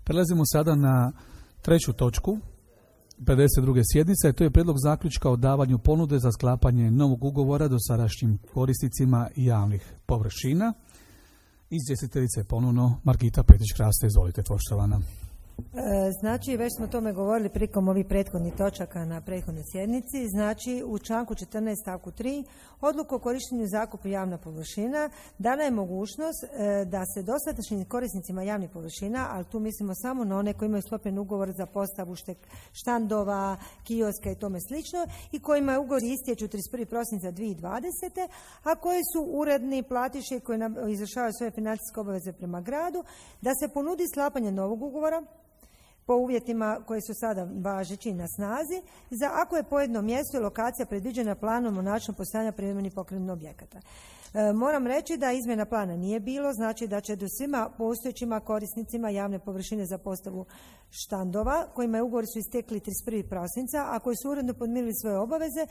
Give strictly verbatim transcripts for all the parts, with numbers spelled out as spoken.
Prelazimo sada na treću točku pedeset druge sjednice, to je prijedlog zaključka o davanju ponude za sklapanje novog ugovora dosadašnjim korisnicima javnih površina. Izvjestiteljica je ponovno Margita Petrić-Hraste, izvolite poštovana. Znači, već smo o tome govorili prikom ovih prethodnih točaka na prethodnoj sjednici. Znači, u članku četrnaest stavku tri odluku o korištenju zakupu javna površina dana je mogućnost da se dosadašnjim korisnicima javnih površina, ali tu mislimo samo na one koji imaju sklopljen ugovor za postavu štandova, kioska i tome slično i kojima je ugovor istječu trideset prvog prosinca dvije tisuće dvadesete. a koji su uredni platiše koji izvršavaju svoje financijske obaveze prema gradu, da se ponudi sklapanje novog ugovora po uvjetima koji su sada važeći na snazi, za ako je pojedino mjesto i lokacija predviđena planom o načinu postojanja privremenih pokretnih objekata. E, moram reći da izmjena plana nije bilo, znači da će do svima postojećima korisnicima javne površine za postavu štandova, kojima je ugovori su istekli trideset prvog prosinca, a koji su uredno podmirili svoje obaveze,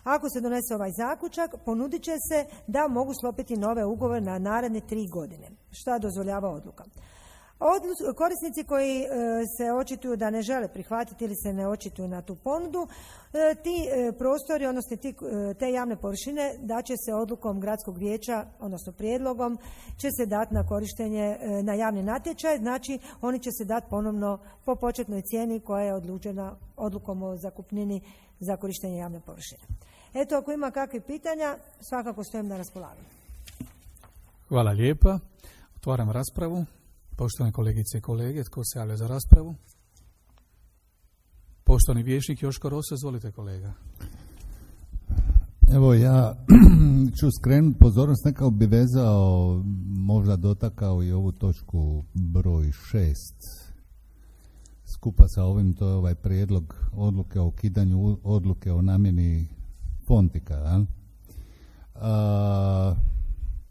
ako se donese ovaj zaključak, ponudit će se da mogu sklopiti nove ugovore na naredne tri godine, šta dozvoljava odluka. Odlu- korisnici koji e, se očituju da ne žele prihvatiti ili se ne očituju na tu ponudu, e, ti e, prostori, odnosno ti, e, te javne površine da će se odlukom gradskog vijeća, odnosno prijedlogom, će se dati na korištenje e, na javni natječaj, znači oni će se dati ponovno po početnoj cijeni koja je odlučena odlukom o zakupnini za korištenje javne površine. Eto, ako ima kakvih pitanja, svakako stojim na raspolaganju. Hvala lijepa. Otvaram raspravu. Poštovane kolegice i kolege, tko se javlja za raspravu? Poštovani vijećnik Joško Rosa, izvolite kolega. Evo ja ću skrenuti pozornost, nekako bi vezao, možda dotakao i ovu točku broj šest. Skupa sa ovim, to je ovaj prijedlog odluke o ukidanju odluke o namjeni Fontika. Ja? A,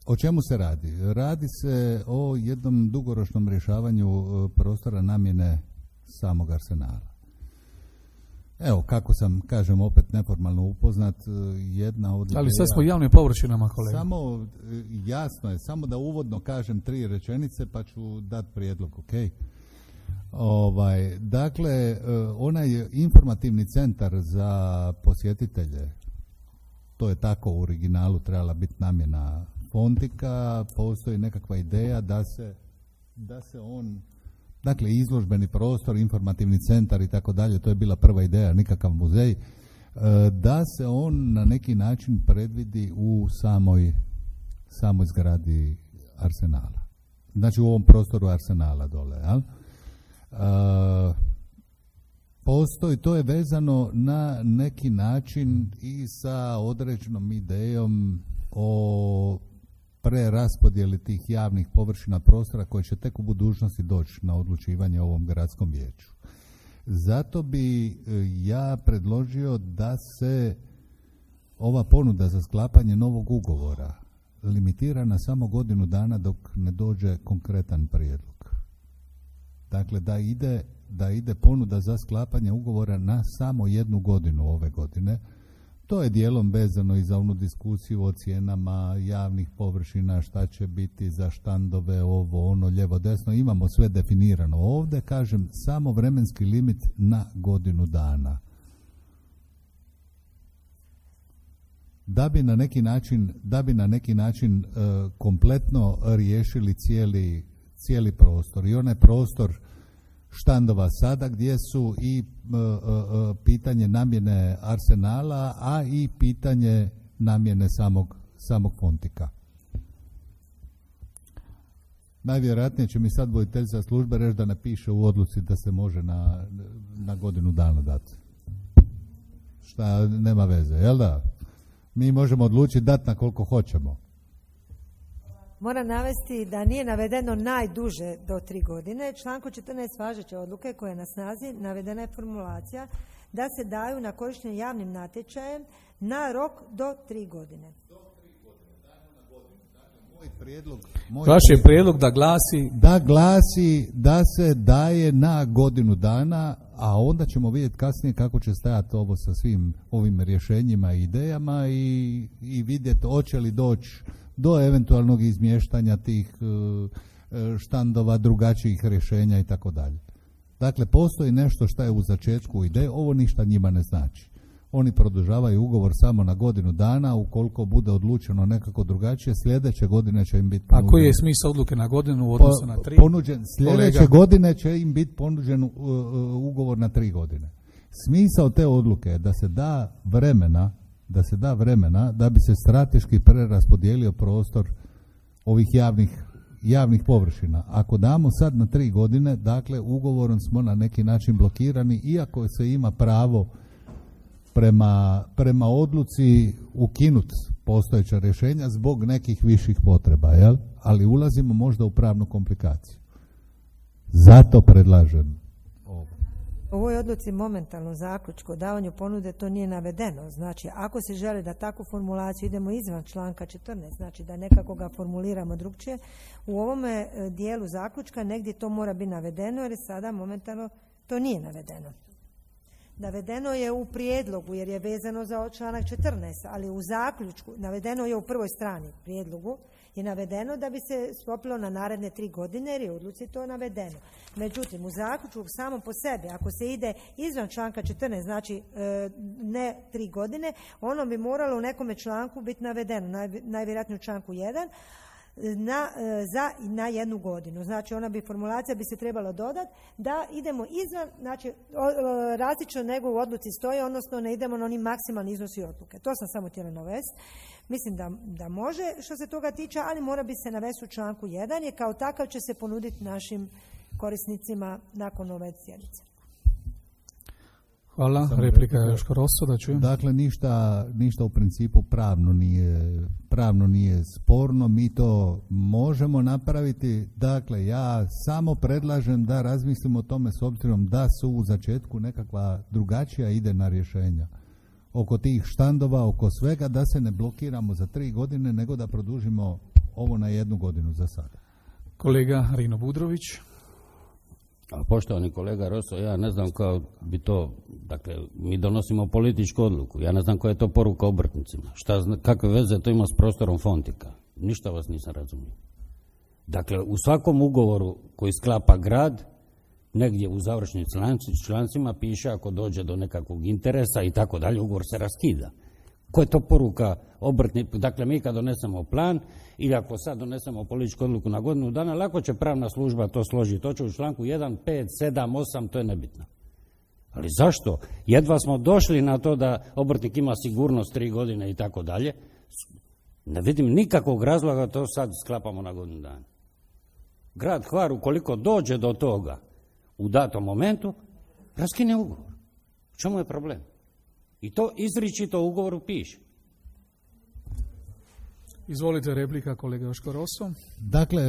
O čemu se radi? Radi se o jednom dugoročnom rješavanju prostora namjene samog arsenala. Evo, kako sam, kažem, opet neformalno upoznat, jedna od... Ali sad smo javnim površinama, kolega. Samo, jasno je, samo da uvodno kažem tri rečenice, pa ću dati prijedlog, ok? Ovaj, dakle, onaj informativni centar za posjetitelje, to je tako u originalu trebala biti namjena Fontika, postoji nekakva ideja da se, da se on, dakle izložbeni prostor, informativni centar i tako dalje, to je bila prva ideja, nikakav muzej, da se on na neki način predvidi u samoj, samoj zgradi arsenala. Znači u ovom prostoru arsenala dole, jel? Postoji, to je vezano na neki način i sa određenom idejom o preraspodjeli tih javnih površina prostora koje će tek u budućnosti doći na odlučivanje ovom gradskom vijeću. Zato bi ja predložio da se ova ponuda za sklapanje novog ugovora limitira na samo godinu dana dok ne dođe konkretan prijedlog. Dakle, da ide, da ide ponuda za sklapanje ugovora na samo jednu godinu ove godine. To je dijelom vezano i za onu diskusiju o cijenama javnih površina, šta će biti za štandove, ovo, ono, lijevo, desno. Imamo sve definirano ovdje, kažem, samo vremenski limit na godinu dana. Da bi na neki način, da bi na neki način e, kompletno riješili cijeli, cijeli prostor. I onaj prostor štandova sada gdje su i e, e, pitanje namjene arsenala, a i pitanje namjene samog, samog Fontika. Najvjerojatnije će mi sad voditeljica službe reći da napiše u odluci da se može na, na godinu dana dati. Šta nema veze, jel da? Mi možemo odlučiti dati na koliko hoćemo. Moram navesti da nije navedeno najduže do tri godine. Članku četrnaest važeće odluke koje je na snazi navedena je formulacija da se daju na korištenje javnim natječajem na rok do tri godine. Do tri godine, dajmo na godinu. Dakle, moj prijedlog, moj Vaš je prijedlog da glasi... Da glasi da se daje na godinu dana, a onda ćemo vidjeti kasnije kako će stajati ovo sa svim ovim rješenjima i idejama i, i vidjeti hoće li doći do eventualnog izmještanja tih uh, štandova, drugačijih rješenja i tako dalje. Dakle, postoji nešto što je u začetku ideje, ovo ništa njima ne znači. Oni produžavaju ugovor samo na godinu dana, ukoliko bude odlučeno nekako drugačije, sljedeće godine će im biti ponuđen. A koji je smisao odluke na godinu u odnosu na tri? Ponuđen, sljedeće Kolega. godine će im biti ponuđen uh, ugovor na tri godine. Smisao te odluke je da se da vremena, da se da vremena da bi se strateški preraspodijelio prostor ovih javnih, javnih površina. Ako damo sad na tri godine, dakle ugovorom smo na neki način blokirani, iako se ima pravo prema, prema odluci ukinut postojeća rješenja zbog nekih viših potreba, jel? Ali ulazimo možda u pravnu komplikaciju. Zato predlažem ovo. U ovoj odluci momentalno zaključku o davanju ponude to nije navedeno. Znači, ako se želi da takvu formulaciju idemo izvan članka četrnaest, znači da nekako ga formuliramo drugčije, u ovome dijelu zaključka negdje to mora biti navedeno jer sada momentalno to nije navedeno. Navedeno je u prijedlogu jer je vezano za članak četrnaest, ali u zaključku, navedeno je u prvoj strani prijedlogu, je navedeno da bi se sklopilo na naredne tri godine jer je u odluci to navedeno. Međutim, u zaključku samo po sebi, ako se ide izvan članka četrnaest, znači e, ne tri godine, ono bi moralo u nekome članku biti navedeno, naj, najvjerojatnije u članku jedan, Na, za na jednu godinu. Znači ona bi, formulacija bi se trebala dodati da idemo izvan, znači različno nego u odluci stoji, odnosno ne idemo na oni maksimalni iznosi odluke. To sam samo htjela navesti. Mislim da, da može što se toga tiče, ali mora bi se navesti u članku jedan, je kao takav će se ponuditi našim korisnicima nakon ove sjednice. Hvala. Sam replika Joško Rosso, da čujem. Dakle, ništa, ništa u principu pravno nije, pravno nije sporno. Mi to možemo napraviti. Dakle, ja samo predlažem da razmislimo o tome s obzirom da su u začetku nekakva drugačija idejna rješenja. Oko tih štandova, oko svega, da se ne blokiramo za tri godine, nego da produžimo ovo na jednu godinu za sada. Kolega Rino Budrović. A poštovani kolega Rosso, ja ne znam kao bi to, dakle, mi donosimo političku odluku, ja ne znam koja je to poruka obrtnicima, šta, kakve veze to ima s prostorom Fontika, ništa vas nisam razumio. Dakle, u svakom ugovoru koji sklapa grad, negdje u završnim člancima piše ako dođe do nekakvog interesa i tako dalje, ugovor se raskida. Koja je to poruka obrtnika? Dakle, mi kad donesemo plan ili ako sad donesemo političku odluku na godinu dana, lako će pravna služba to složiti. To će u članku jedan, pet, sedam, osam, to je nebitno. Ali zašto? Jedva smo došli na to da obrtnik ima sigurnost tri godine i tako dalje. Ne vidim nikakvog razloga da to sad sklapamo na godinu dana. Grad Hvar, ukoliko dođe do toga u datom momentu, raskine ugovor. U čemu je problem? I to izričito u ugovoru piše. Izvolite, replika kolega Joško Rosso. Dakle,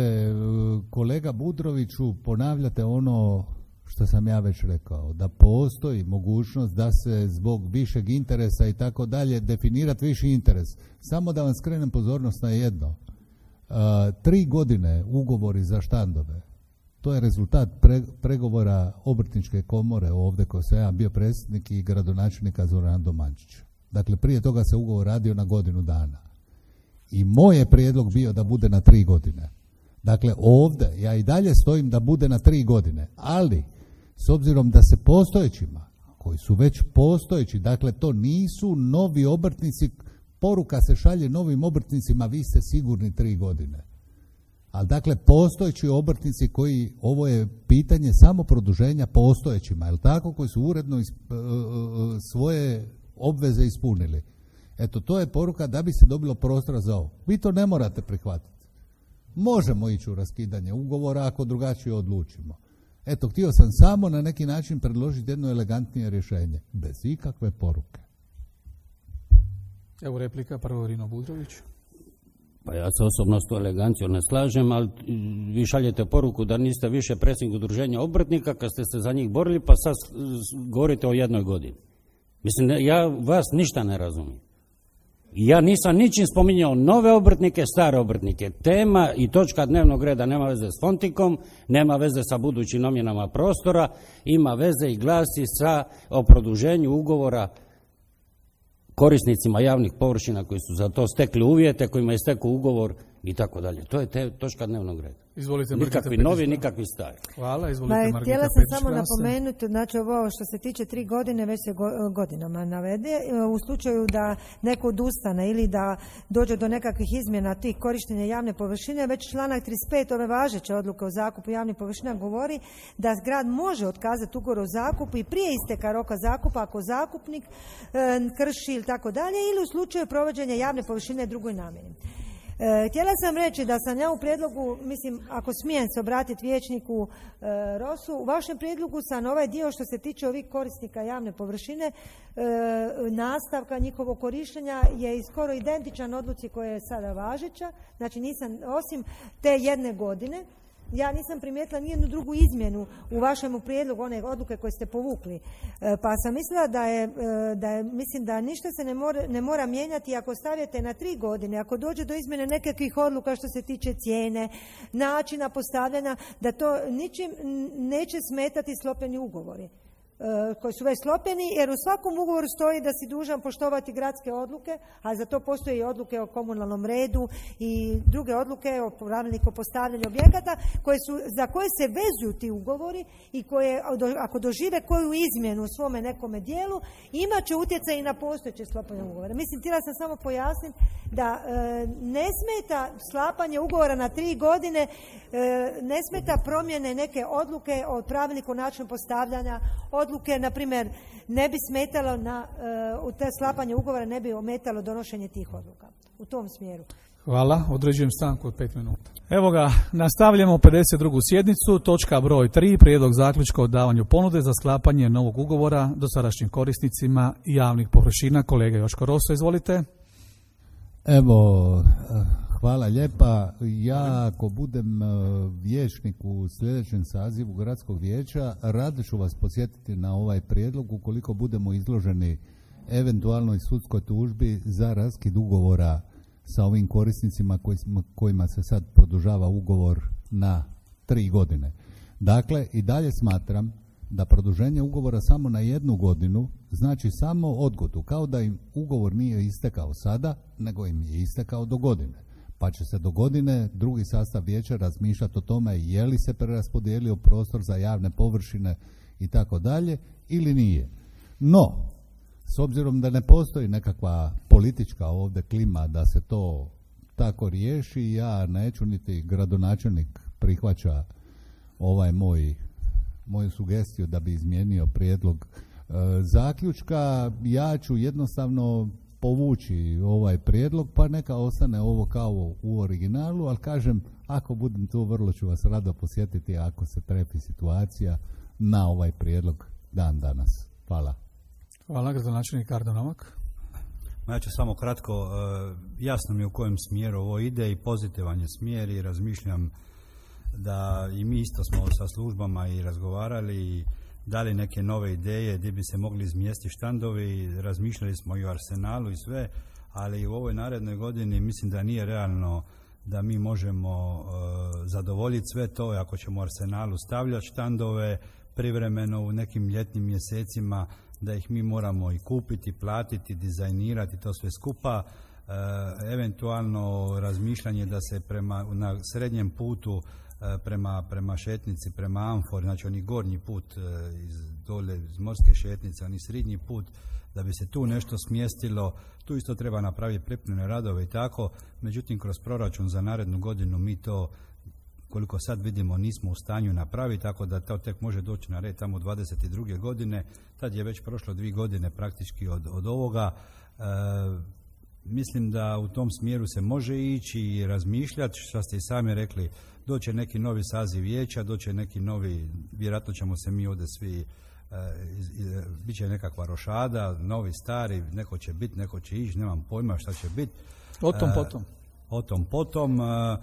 kolega Budroviću, ponavljate ono što sam ja već rekao, da postoji mogućnost da se zbog višeg interesa i tako dalje definirati viši interes. Samo da vam skrenem pozornost na jedno. Uh, tri godine ugovori za štandove, to je rezultat pre, pregovora Obrtničke komore ovdje koji sam ja bio predsjednik i gradonačelnika Zoran Domančić. Dakle, prije toga se ugovor radio na godinu dana. I moj je prijedlog bio da bude na tri godine. Dakle, ovdje ja i dalje stojim da bude na tri godine, ali s obzirom da se postojećima, koji su već postojeći, dakle to nisu novi obrtnici, poruka se šalje novim obrtnicima, vi ste sigurni tri godine. Ali dakle, postojeći obrtnici koji, ovo je pitanje samo produženja postojećima, je li tako, koji su uredno isp, svoje obveze ispunili. Eto, to je poruka da bi se dobilo prostora za ovo. Vi to ne morate prihvatiti. Možemo ići u raskidanje ugovora ako drugačije odlučimo. Eto, htio sam samo na neki način predložiti jedno elegantnije rješenje, bez ikakve poruke. Evo replika, prvo Rino Budrović. Pa ja se osobno s to elegancijom ne slažem, ali vi šaljete poruku da niste više predsjednik udruženja obrtnika kad ste se za njih borili, pa sad govorite o jednoj godini. Mislim, ja vas ništa ne razumijem. Ja nisam ničim spominjao nove obrtnike, stare obrtnike. Tema i točka dnevnog reda nema veze s Fontikom, nema veze sa budućim namjenama prostora, ima veze i glasi sa o produženju ugovora korisnicima javnih površina koji su za to stekli uvjete, kojima je stekao ugovor i tako dalje. To je te, točka dnevnog reda. Izvolite, nikakvi novi, nikakvi stari. Hvala, izvolite, Margita. Htjela sam samo napomenuti, znači ovo što se tiče tri godine već se go, godinama navede. U slučaju da neko odustane ili da dođe do nekakvih izmjena tih korištenja javne površine, već članak trideset pet ove važeće odluke o zakupu javnih površina govori da grad može otkazati ugovor o zakupu i prije isteka roka zakupa ako zakupnik e, krši ili tako dalje, ili u slučaju provođenja javne površine drugoj namjeni. E, htjela sam reći da sam ja u prijedlogu, mislim, ako smijem se obratiti vijećniku e, Rosu, u vašem prijedlogu sam ovaj dio što se tiče ovih korisnika javne površine, e, nastavka njihovog korištenja je skoro identičan odluci koja je sada važeća, znači nisam, osim te jedne godine, ja nisam primijetila nijednu drugu izmjenu u vašem prijedlogu one odluke koje ste povukli. E, pa sam mislila da je, e, da je, mislim da ništa se ne mora, ne mora mijenjati ako stavljate na tri godine, ako dođe do izmjene nekakvih odluka što se tiče cijene, načina postavljanja, da to ničim neće smetati sklopljeni ugovori koji su već sklopljeni, jer u svakom ugovoru stoji da si dužan poštovati gradske odluke, a za to postoje i odluke o komunalnom redu i druge odluke o pravilniku o postavljanju objekata koje su, za koje se vezuju ti ugovori i koje ako dožive koju izmjenu u svome nekome dijelu imat će utjecaj i na postojeće sklapanje ugovora. Mislim, htjela sam samo pojasniti da e, ne smeta sklapanje ugovora na tri godine, e, ne smeta promjene neke odluke o pravilniku o načinu postavljanja odluke, na primjer, ne bi smetalo na uh, u te sklapanje ugovora, ne bi ometalo donošenje tih odluka. U tom smjeru. Hvala, određujem stanku od pet minuta. Evo ga, nastavljamo pedeset drugu sjednicu, točka broj tri, prijedlog zaključka o davanju ponude za sklapanje novog ugovora dosadašnjim korisnicima javnih površina. Kolega Joško Roso, izvolite. Evo, hvala lijepa. Ja ako budem vijećnik u sljedećem sazivu gradskog vijeća, rado ću vas podsjetiti na ovaj prijedlog ukoliko budemo izloženi eventualnoj sudskoj tužbi za raskid ugovora sa ovim korisnicima kojima se sad produžava ugovor na tri godine. Dakle, i dalje smatram da produženje ugovora samo na jednu godinu znači samo odgodu, kao da im ugovor nije istekao sada, nego im je istekao do godine. Pa će se do godine drugi sastav vijeća razmišljati o tome je li se preraspodijelio prostor za javne površine i tako dalje ili nije. No, s obzirom da ne postoji nekakva politička ovdje klima da se to tako riješi, ja neću niti gradonačelnik prihvaća ovaj moj moju sugestiju da bi izmijenio prijedlog e, zaključka. Ja ću jednostavno povući ovaj prijedlog, pa neka ostane ovo kao u originalu, ali kažem, ako budem tu, vrlo ću vas rado posjetiti ako se trefi situacija na ovaj prijedlog dan danas. Hvala. Hvala, gradonačelnik Ardo Novak. Ja ću samo kratko, e, jasno mi je u kojem smjeru ovo ide i pozitivan je smjer i razmišljam da i mi isto smo sa službama i razgovarali i dali neke nove ideje gdje bi se mogli izmjestiti štandovi, razmišljali smo i o Arsenalu i sve, ali u ovoj narednoj godini mislim da nije realno da mi možemo uh, zadovoljiti sve to ako ćemo u Arsenalu stavljati štandove privremeno u nekim ljetnim mjesecima, da ih mi moramo i kupiti, platiti, dizajnirati, to sve skupa. Uh, eventualno razmišljanje da se prema na srednjem putu prema, prema šetnici, prema Amfori, znači oni gornji put iz dole iz morske šetnice, oni srednji put, da bi se tu nešto smjestilo, tu isto treba napraviti pripremne radove i tako, međutim kroz proračun za narednu godinu mi to, koliko sad vidimo, nismo u stanju napraviti, tako da to tek može doći na red tamo dvadeset druge godine, tad je već prošlo dvije godine praktički od, od ovoga. E, mislim da u tom smjeru se može ići i razmišljati, što ste i sami rekli, doće neki novi saziv vijeća, doće neki novi, vjerojatno ćemo se mi ovdje svi, e, bit će nekakva rošada, novi, stari, neko će biti, neko će ići, nemam pojma šta će biti. O tom potom. E, o tom potom, e, e,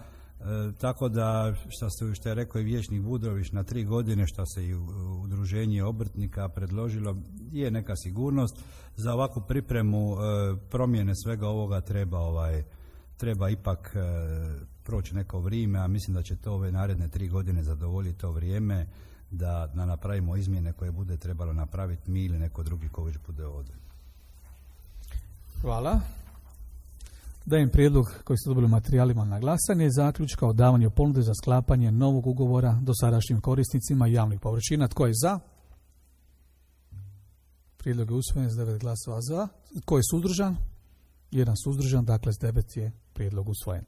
tako da, što, ste, što je rekao i vijećnik Budrović, na tri godine, što se i udruženje obrtnika predložilo, je neka sigurnost. Za ovakvu pripremu e, promjene svega ovoga treba ovaj treba ipak e, proći neko vrijeme, a mislim da će to ove naredne tri godine zadovoljiti to vrijeme da, da napravimo izmjene koje bude trebalo napraviti mi ili neko drugi ko već bude ovdje. Hvala. Dajem prijedlog koji ste dobili u materijalima na glasanje, zaključka o davanju ponude za sklapanje novog ugovora dosadašnjim korisnicima javnih površina. Tko je za? Prijedlog je usvojen s devet glasova za. Tko je suzdržan? Jedan suzdržan, dakle s devet je prijedlog usvojen.